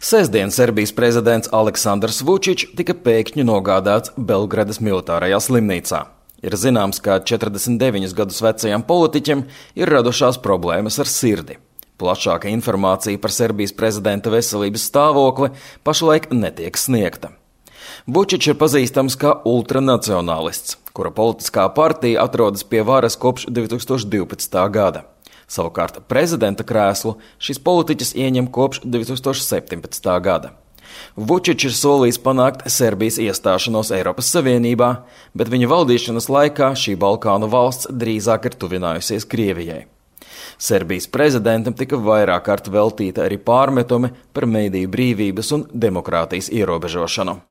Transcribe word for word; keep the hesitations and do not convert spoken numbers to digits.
Sestdien Serbijas prezidents Aleksandrs Vučičs tika pēkšņi nogādāts Belgradas militārajā slimnīcā. Ir zināms, ka četrdesmit deviņus gadus vecajam politiķim ir radušās problēmas ar sirdi. Plašāka informācija par Serbijas prezidenta veselības stāvokli pašlaik netiek sniegta. Vučičs ir pazīstams kā ultranacionālists, kura politiskā partija atrodas pie varas kopš divi tūkstoši divpadsmitā gada. Savukārt prezidenta krēslu šis politiķis ieņem kopš divi tūkstoši septiņpadsmitā gada. Vučičs ir solījis panākt Serbijas iestāšanos Eiropas Savienībā, bet viņa valdīšanas laikā šī Balkānu valsts drīzāk ir tuvinājusies Krievijai. Serbijas prezidentam tika vairāk kārt veltīta arī pārmetumi par mediju brīvības un demokrātijas ierobežošanu.